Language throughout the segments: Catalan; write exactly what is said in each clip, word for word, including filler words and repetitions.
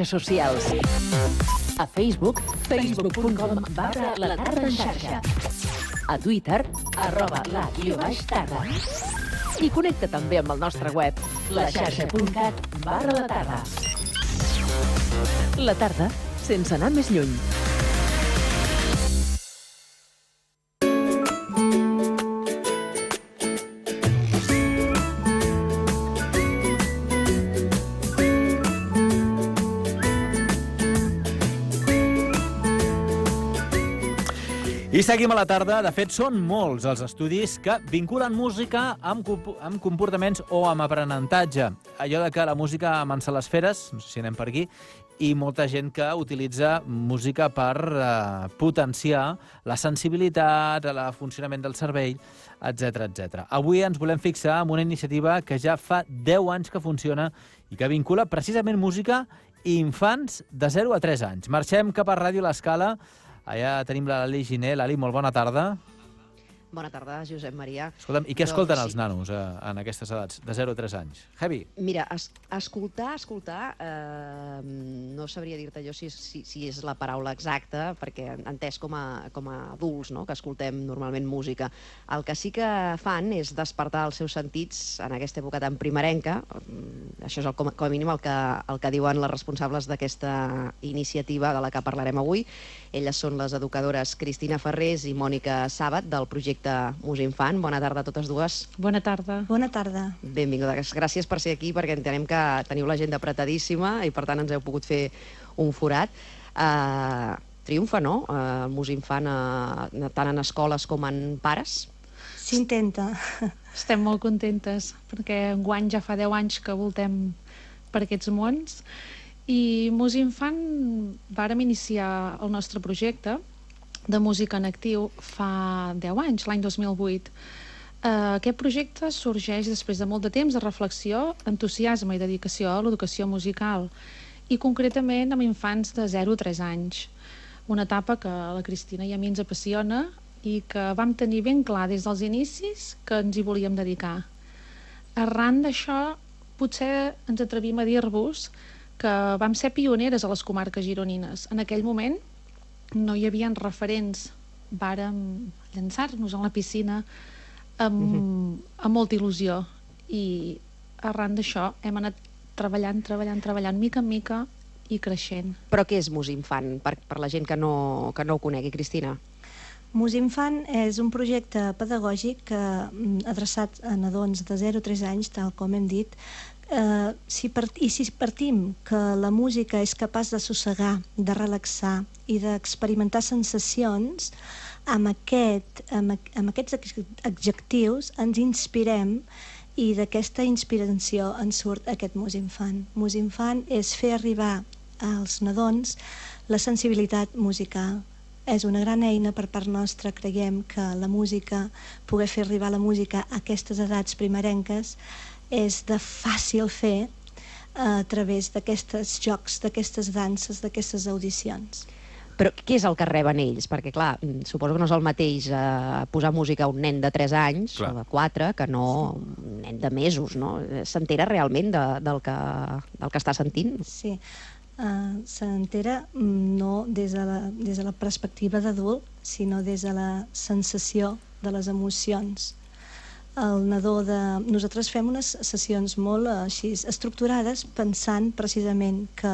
Socials. A Facebook, facebook punt com barra la tarda en xarxa. A Twitter, arroba la guió baix tarda. I connecta també amb el nostre web, la xarxa punt cat barra la tarda. La tarda, sense anar més lluny. I seguim a la tarda. De fet, són molts els estudis que vinculen música amb, amb comportaments o amb aprenentatge. Allò de que la música amansa les feres, no sé si anem per aquí, i molta gent que utilitza música per eh, potenciar la sensibilitat, el funcionament del cervell, etcètera, etcètera. Avui ens volem fixar en una iniciativa que ja fa deu anys que funciona i que vincula precisament música i infants de zero a tres anys. Marxem cap a Ràdio L'Escala. Allà tenim la Lali Giner. Lali, molt bona tarda. Bona tarda, Josep Maria. Escolta'm, i què escolten els nanos eh, en aquestes edats, de zero a tres anys? Heavy. Mira, es, escoltar, escoltar, eh, no sabria dir-te jo si, si, si és la paraula exacta, perquè entès com a, com a adults, no?, que escoltem normalment música. El que sí que fan és despertar els seus sentits en aquesta època tan primerenca. Això és el, com, com a mínim el que, el que diuen les responsables d'aquesta iniciativa de la que parlarem avui. Elles són les educadores Cristina Ferrés i Mònica Sàbat, del projecte Musinfant. Bona tarda a totes dues. Bona tarda. Bona tarda. Benvingudes. Gràcies per ser aquí, perquè entenem que teniu l'agenda apretadíssima i per tant ens heu pogut fer un forat. Uh, triomfa, no?, uh, el Musinfant, uh, tant en escoles com en pares? S'intenta. Estem molt contentes, perquè enguany ja fa deu anys que voltem per aquests mons. I Musinfant vàrem iniciar el nostre projecte de música en actiu fa deu anys, l'any dos mil vuit. Uh, aquest projecte sorgeix després de molt de temps de reflexió, entusiasme i dedicació a l'educació musical, i concretament amb infants de zero a tres anys. Una etapa que a la Cristina i a mi ens apassiona i que vam tenir ben clar des dels inicis que ens hi volíem dedicar. Arran d'això, potser ens atrevim a dir-vos que vam ser pioneres a les comarques gironines. En aquell moment no hi havia referents. Vàrem llançar-nos a la piscina amb, uh-huh. amb molta il·lusió, i arran d'això hem anat treballant, treballant, treballant, mica en mica i creixent. Però què és Musinfant, per, per la gent que no, que no ho conegui, Cristina? Musinfant és un projecte pedagògic que, adreçat a nadons de zero a tres anys, tal com hem dit. Uh, si part... I si partim que la música és capaç de sossegar, de relaxar i d'experimentar sensacions, amb, aquest, amb, amb aquests adjectius ens inspirem, i d'aquesta inspiració ens surt aquest Musinfant. Musinfant és fer arribar als nadons la sensibilitat musical. És una gran eina per part nostra. Creiem que la música, poder fer arribar la música a aquestes edats primerenques, és de fàcil fer a través d'aquests jocs, d'aquestes danses, d'aquestes audicions. Però què és el que reben ells? Perquè, clar, suposo que no és el mateix eh, posar música a un nen de tres anys, clar, o de quatre, que no un nen de mesos, no? S'entera realment de, del, que, del que està sentint? Sí, uh, s'entera no des de la, des de la perspectiva d'adult, sinó des de la sensació de les emocions. El nadó de... Nosaltres fem unes sessions molt així estructurades, pensant precisament que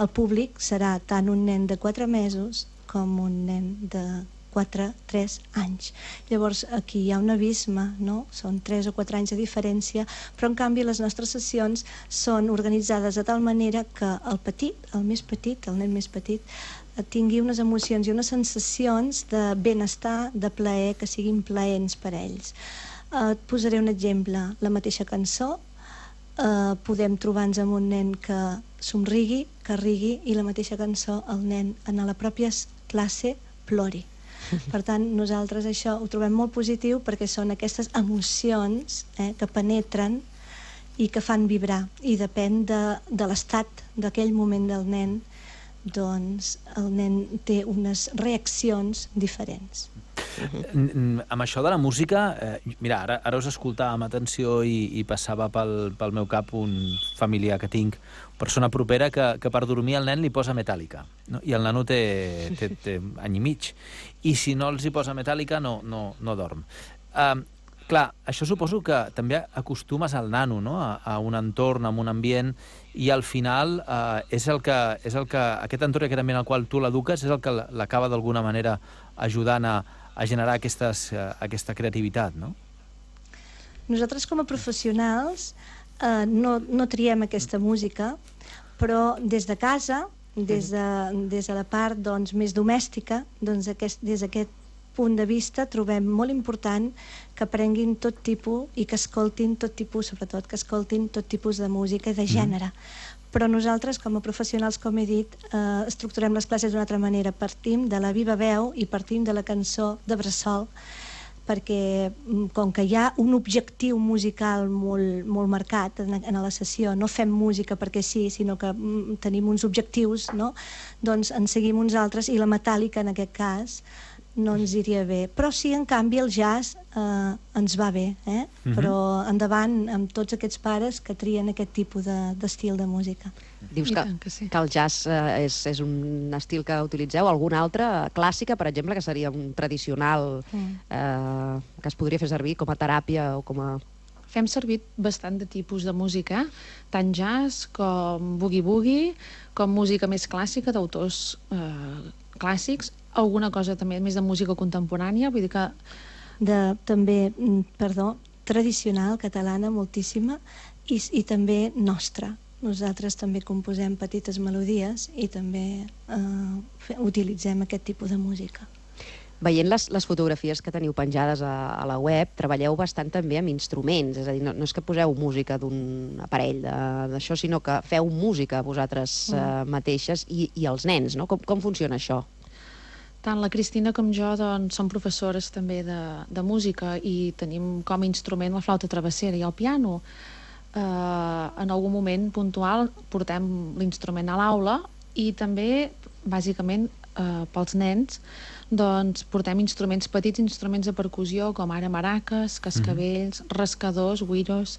el públic serà tant un nen de quatre mesos com un nen de quatre a tres anys. Llavors aquí hi ha un abisme, no? Són tres o quatre anys de diferència, però en canvi les nostres sessions són organitzades de tal manera que el petit, el més petit, el nen més petit, tingui unes emocions i unes sensacions de benestar, de plaer, que siguin plaents per a ells. Uh, et posaré un exemple. La mateixa cançó, uh, podem trobar-nos amb un nen que somrigui, que rigui, i la mateixa cançó el nen en la pròpia classe plori. Per tant, nosaltres això ho trobem molt positiu, perquè són aquestes emocions eh, que penetren i que fan vibrar, i depèn de, de l'estat d'aquell moment del nen, doncs el nen té unes reaccions diferents. Uh-huh. Amb això de la música, eh, mira, ara, ara us escoltava amb atenció i, i passava pel, pel meu cap un familiar que tinc, persona propera, que, que per dormir el nen li posa Metallica, no? I el nano té, té, té any i mig. I si no els hi posa Metallica, no, no, no dorm. Uh, clar, això suposo que també acostumes al nano, no? a, a un entorn, a un ambient, i al final uh, és el que, és el que aquest entorn i aquest ambient al qual tu l'eduques és el que l'acaba d'alguna manera ajudant a, a generar aquestes, uh, aquesta creativitat, no? Nosaltres com a professionals eh, no, no triem aquesta música, però des de casa, des de, des de la part doncs, més domèstica, doncs, aquest, des d'aquest punt de vista trobem molt important que aprenguin tot tipus i que escoltin tot tipus, sobretot que escoltin tot tipus de música i de gènere. Mm. Però nosaltres, com a professionals, com he dit, eh, estructurem les classes d'una altra manera. Partim de la viva veu i partim de la cançó de bressol, perquè com que hi ha un objectiu musical molt, molt marcat en, en la sessió, no fem música perquè sí, sinó que mm, tenim uns objectius, no? Doncs en seguim uns altres, i la metàl·lica en aquest cas no ens iria bé. Però sí, en canvi, el jazz eh, ens va bé, eh? Uh-huh. Però endavant amb tots aquests pares que trien aquest tipus d'estil de, de música. Dius que, que, sí. que el jazz eh, és, és un estil que utilitzeu. Alguna altra clàssica, per exemple, que seria un tradicional, eh, que es podria fer servir com a teràpia o com a... Fem servir bastant de tipus de música, tant jazz com boogie-boogie, com música més clàssica d'autors eh, clàssics, alguna cosa també més de música contemporània, vull dir que... De, també, perdó, tradicional, catalana, moltíssima, i, i també nostra. Nosaltres també composem petites melodies i també eh, utilitzem aquest tipus de música. Veient les, les fotografies que teniu penjades a, a la web, treballeu bastant també amb instruments, és a dir, no, no és que poseu música d'un aparell d'això, sinó que feu música vosaltres eh, mateixes i, i els nens, no? Com, com funciona això? Tant la Cristina com jo doncs, som professores també de, de música i tenim com a instrument la flauta travessera i el piano. Eh, en algun moment puntual portem l'instrument a l'aula i també, bàsicament, eh, pels nens, doncs portem instruments, petits instruments de percussió, com ara maraques, cascavells, mm-hmm. rascadors, güiros,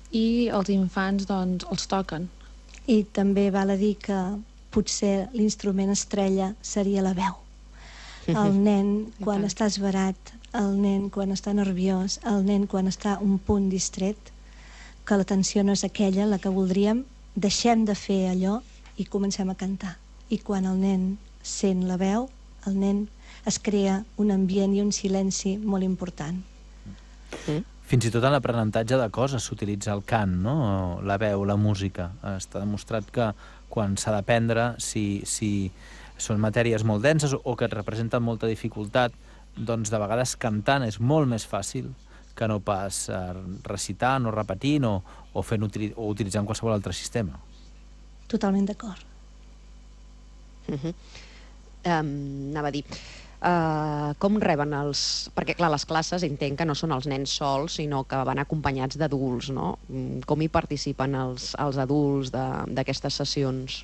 i els infants doncs, els toquen. I també val a dir que potser l'instrument estrella seria la veu. El nen quan està esverat, el nen quan està nerviós, el nen quan està un punt distret, que l'atenció no és aquella, la que voldríem, deixem de fer allò i comencem a cantar. I quan el nen sent la veu, el nen es crea un ambient i un silenci molt important. Mm. Fins i tot en l'aprenentatge de coses s'utilitza el cant, no? La veu, la música. Està demostrat que quan s'ha d'aprendre, si, si són matèries molt denses o que et representen molta dificultat, doncs de vegades cantant és molt més fàcil que no pas recitant o repetint o, o, fent, o utilitzant qualsevol altre sistema. Totalment d'acord. Uh-huh. um, anava a dir... Uh, com reben els... Perquè, clar, les classes entenc que no són els nens sols, sinó que van acompanyats d'adults, no? Com hi participen els, els adults d'aquestes sessions?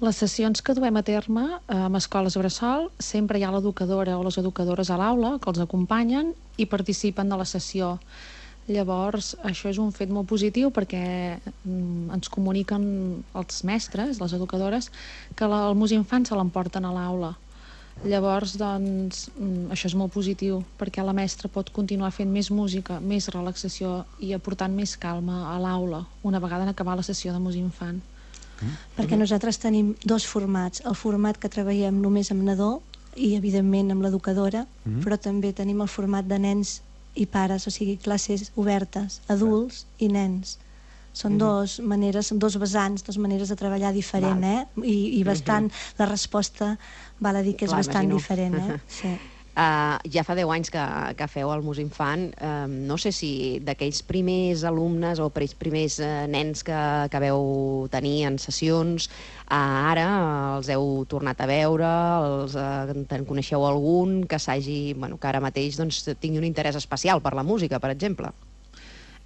Les sessions que duem a terme eh, amb escoles bressol, sempre hi ha l'educadora o les educadores a l'aula que els acompanyen i participen de la sessió. Llavors, això és un fet molt positiu perquè mm, ens comuniquen els mestres, les educadores, que la, el Musinfant se l'emporten a l'aula. Llavors, doncs, això és molt positiu, perquè la mestra pot continuar fent més música, més relaxació i aportant més calma a l'aula, una vegada en acabar la sessió de Musinfant. Mm. Perquè nosaltres tenim dos formats, el format que treballem només amb nadó i, evidentment, amb l'educadora, mm. però també tenim el format de nens i pares, o sigui, classes obertes, adults i nens. Són mm-hmm. dos maneres, dos vessants, dos maneres de treballar diferent, eh? I, i bastant, mm-hmm. la resposta val a dir que és Clar, bastant imagino. diferent, eh? Sí. Uh, ja fa deu anys que, que feu el Musinfant. Uh, no sé si d'aquells primers alumnes o primers uh, nens que, que veu tenir en sessions, uh, ara els heu tornat a veure, els, uh, en coneixeu algun que s'hagi, bueno, que ara mateix doncs, tingui un interès especial per la música, per exemple?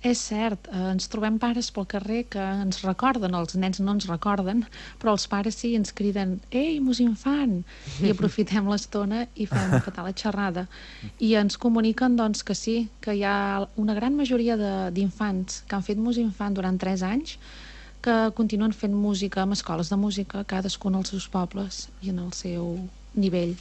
És cert, eh, ens trobem pares pel carrer que ens recorden, els nens no ens recorden, però els pares sí ens criden «Ei, mosinfant!» i aprofitem l'estona i fem petar la xerrada. I ens comuniquen doncs, que sí, que hi ha una gran majoria d'infants que han fet mosinfant durant tres anys que continuen fent música amb escoles de música, cadascun als seus pobles i en el seu nivell.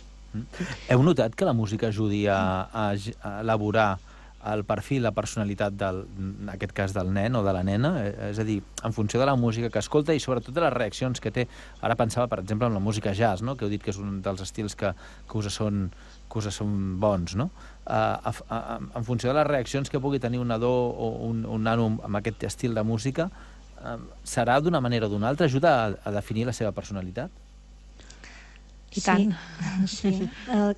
Heu notat que la música ajudi a, a, a elaborar el perfil, la personalitat, del, en aquest cas del nen o de la nena? És a dir, en funció de la música que escolta i sobretot de les reaccions que té. Ara pensava, per exemple, en la música jazz, no? Que heu dit que és un dels estils que, que, us, són, que us són bons, no? Uh, a, a, en funció de les reaccions que pugui tenir un nadó o un, un nano amb aquest estil de música, uh, serà d'una manera o d'una altra? Ajuda a, a definir la seva personalitat? I tant. Sí, sí.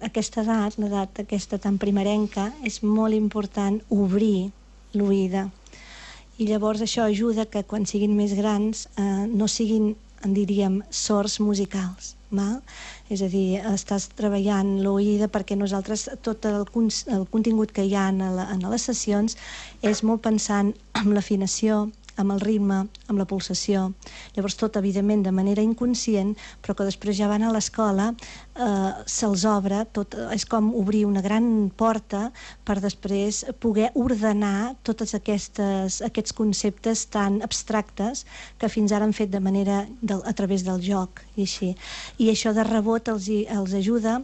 Aquesta edat, l'edat aquesta tan primerenca, és molt important obrir l'oïda. I llavors això ajuda que quan siguin més grans eh, no siguin, en diríem, sords musicals. Val? És a dir, estàs treballant l'oïda perquè nosaltres tot el, el contingut que hi ha en, la, en les sessions és molt pensant en l'afinació, amb el ritme, amb la pulsació. Llavors tot, evidentment, de manera inconscient, però que després ja van a l'escola, eh, se'ls obre, tot, és com obrir una gran porta per després poder ordenar tots aquestes, aquests conceptes tan abstractes que fins ara han fet de manera del, a través del joc i així. I això de rebot els, els ajuda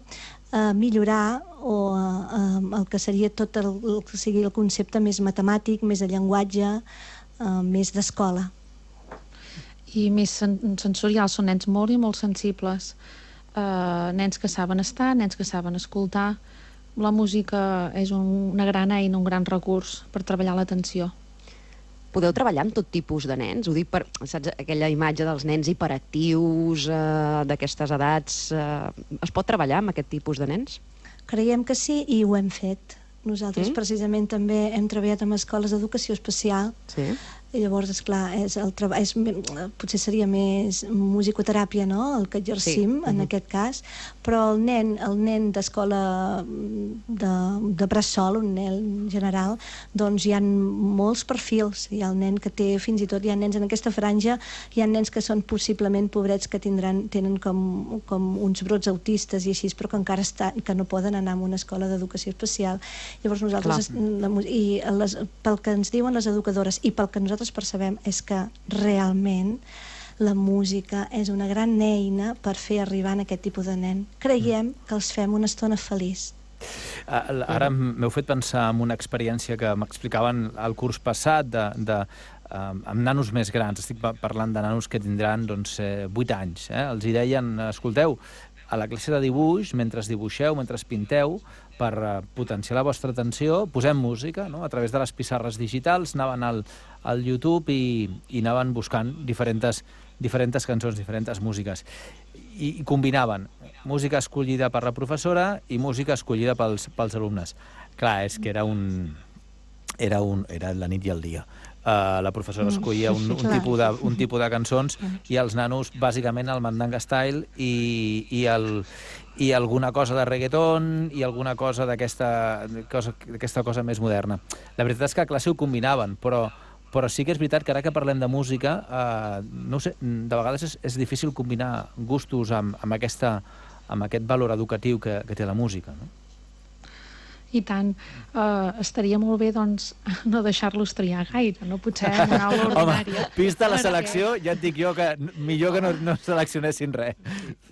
a millorar o a, a, el que seria tot el, el que sigui el concepte més matemàtic, més de llenguatge, Uh, més d'escola. I més sen sensorials, són nens molt i molt sensibles. Uh, nens que saben estar, nens que saben escoltar. La música és un, una gran eina, un gran recurs per treballar l'atenció. Podeu treballar amb tot tipus de nens? Ho dic per, saps, aquella imatge dels nens hiperactius, eh, d'aquestes edats. Eh, es pot treballar amb aquest tipus de nens? Creiem que sí i ho hem fet. Nosaltres, mm? precisament, també hem treballat amb escoles d'educació especial. Sí. I llavors, esclar, és el treball, és, potser seria més musicoteràpia, no?, el que exercim, sí. en uh-huh. aquest cas, però el nen, el nen d'escola de, de bressol, un nen general, doncs hi ha molts perfils. Hi ha el nen que té, fins i tot, hi ha nens en aquesta franja, hi ha nens que són possiblement pobrets que tindran, tenen com, com uns brots autistes i així, però que encara està, que no poden anar a una escola d'educació especial. Llavors nosaltres, la, i les, pel que ens diuen les educadores i pel que nosaltres percebem és que realment la música és una gran eina per fer arribar a aquest tipus de nen. Creiem que els fem una estona feliç. Uh, ara m'heu fet pensar en una experiència que m'explicaven al curs passat de, de, uh, amb nanos més grans. Estic parlant de nanos que tindran doncs, eh, vuit anys. Eh? Els hi deien, escolteu, a la classe de dibuix, mentre dibuixeu, mentre pinteu, per uh, potenciar la vostra atenció, posem música, no? A través de les pissarres digitals, anaven al, al YouTube i, i anaven buscant diferents, diferents cançons, diferents músiques. I, i combinaven música escollida per la professora i música escollida pels, pels alumnes. Clar, és que era un... Era, un, era la nit i el dia. Uh, la professora escollia un, un, tipus de, un tipus de cançons i els nanos, bàsicament, el mandanga style i, i, el, i alguna cosa de reggaeton i alguna cosa d'aquesta cosa, cosa més moderna. La veritat és que a classe ho combinaven, però, però sí que és veritat que ara que parlem de música, uh, no ho sé, de vegades és, és difícil combinar gustos amb, amb, aquesta, amb aquest valor educatiu que, que té la música, no? I tant. Uh, estaria molt bé, doncs, no deixar-los triar gaire, no? Potser en una aula ordinària. Home, vista la selecció, ja et dic jo que millor que no, no seleccionessin res.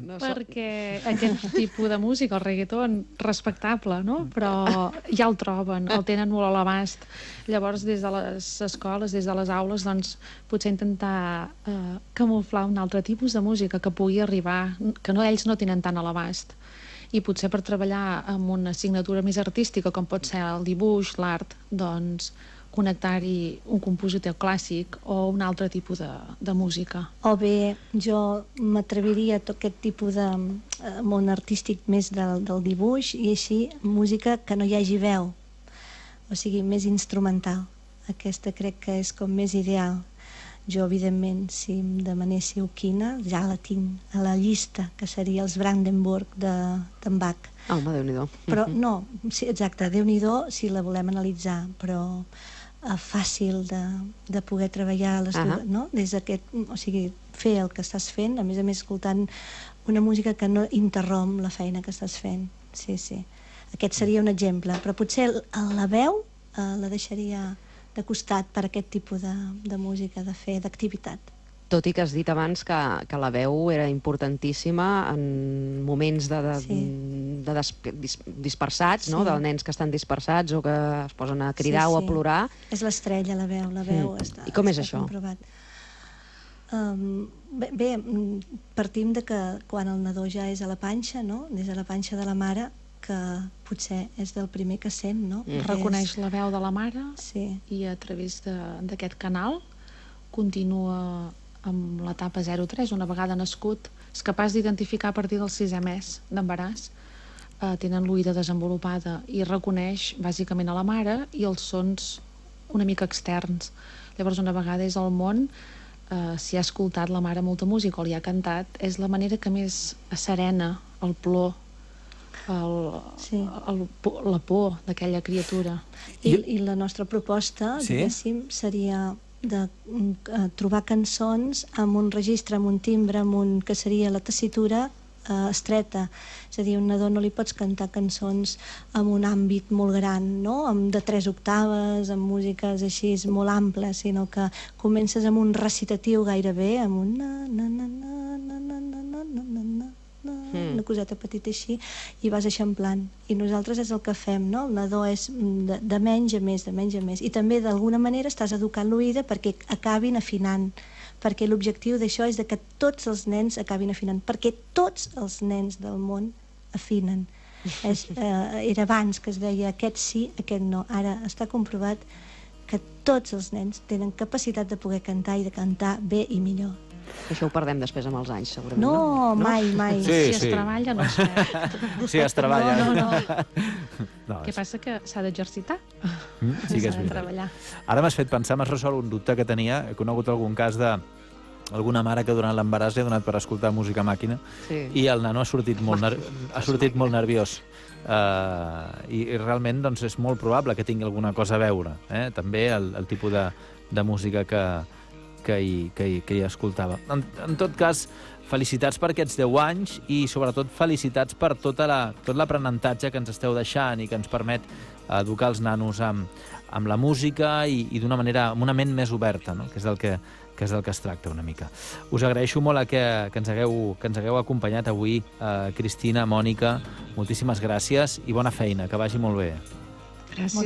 No, perquè aquest tipus de música, el reggaeton, respectable, no? Però ja el troben, el tenen molt a l'abast. Llavors, des de les escoles, des de les aules, doncs, potser intentar uh, camuflar un altre tipus de música que pugui arribar, que no, ells no tenen tant a l'abast. I potser per treballar amb una assignatura més artística, com pot ser el dibuix, l'art, doncs connectar-hi un compositor clàssic o un altre tipus de, de música. O bé, jo m'atreviria a tot aquest tipus de eh, món artístic més del, del dibuix i així música que no hi hagi veu, o sigui, més instrumental. Aquesta crec que és com més ideal. Jo, evidentment, si em demanéssiu quina, ja la tinc a la llista, que seria els Brandenburg d'en Bach. Ah, home, Déu-n'hi-do. Però no, sí, exacte, Déu-n'hi-do si la volem analitzar, però uh, fàcil de, de poder treballar les Ahà. dues, no? Des d'aquest, o sigui, fer el que estàs fent, a més a més escoltant una música que no interromp la feina que estàs fent. Sí, sí. Aquest seria un exemple, però potser el- la veu uh, la deixaria de costat per aquest tipus de, de música, de fer, d'activitat. Tot i que has dit abans que, que la veu era importantíssima en moments de, de, Sí. de des, dis, dispersats, no? Sí. De nens que estan dispersats o que es posen a cridar Sí, o a sí. plorar. És l'estrella, la veu, la veu Mm. està, I com és està això? comprovat. Um, bé, bé, mm, partim de que quan el nadó ja és a la panxa, no? Des de la panxa de la mare, que potser és del primer que sent, no? Mm. Perquè Reconeix és- la veu de la mare Sí, i a través de- d'aquest canal continua amb l'etapa zero tres, una vegada nascut, és capaç d'identificar a partir del sisè mes d'embaràs. Eh, tenen l'oïda desenvolupada i reconeix bàsicament a la mare i els sons una mica externs. Llavors, una vegada és al món, eh, si ha escoltat la mare molta música o li ha cantat, és la manera que més serena el plor, el, Sí. el, por- la por d'aquella criatura. I, Jo- i la nostra proposta, Sí? diguéssim, seria de mm, eh, trobar cançons amb un registre, amb un timbre, amb un, que seria la tessitura eh, estreta. És a dir, a un nadó no li pots cantar cançons amb un àmbit molt gran, no? Amb de tres octaves, amb músiques així molt amples, sinó que comences amb un recitatiu gairebé, amb un na, na, na, na, na, na, na, na, na, na, na, Mm. una coseta petita així, i vas eixamplant. I nosaltres és el que fem, no? El nadó és de, de menys a més, de menys a més. I també, d'alguna manera, estàs educant l'oïda perquè acabin afinant, perquè l'objectiu d'això és de que tots els nens acabin afinant, perquè tots els nens del món afinen. És, eh, era abans que es deia aquest sí, aquest no. Ara està comprovat que tots els nens tenen capacitat de poder cantar i de cantar bé i millor. Això ho perdem després amb els anys, segurament. No, mai, mai. Sí, si sí. es treballa, no es perd. Sí, es treballa. No, no, no. No, Què és- passa? Que s'ha d'exercitar. Mm, sí que és S'ha de veritat. treballar. Ara m'has fet pensar, m'has resolt un dubte que tenia. He conegut algun cas de alguna mare que durant l'embaràs li ha donat per escoltar música a màquina Sí. i el nano ha sortit molt, ner ha sortit molt nerviós. Uh, i, I realment doncs, és molt probable que tingui alguna cosa a veure. Eh? També el, el tipus de, de música que, que, hi, que, hi, que hi escoltava. En, en tot cas, felicitats per aquests deu anys i sobretot felicitats per tota la, tot l'aprenentatge que ens esteu deixant i que ens permet educar els nanos amb, amb la música i, i d'una manera, amb una ment més oberta, no? que és del que, que és del que es tracta una mica. Us agraeixo molt a que, que, ens hagueu, que ens hagueu acompanyat avui, eh, Cristina, Mònica, moltíssimes gràcies i bona feina, que vagi molt bé. Gràcies.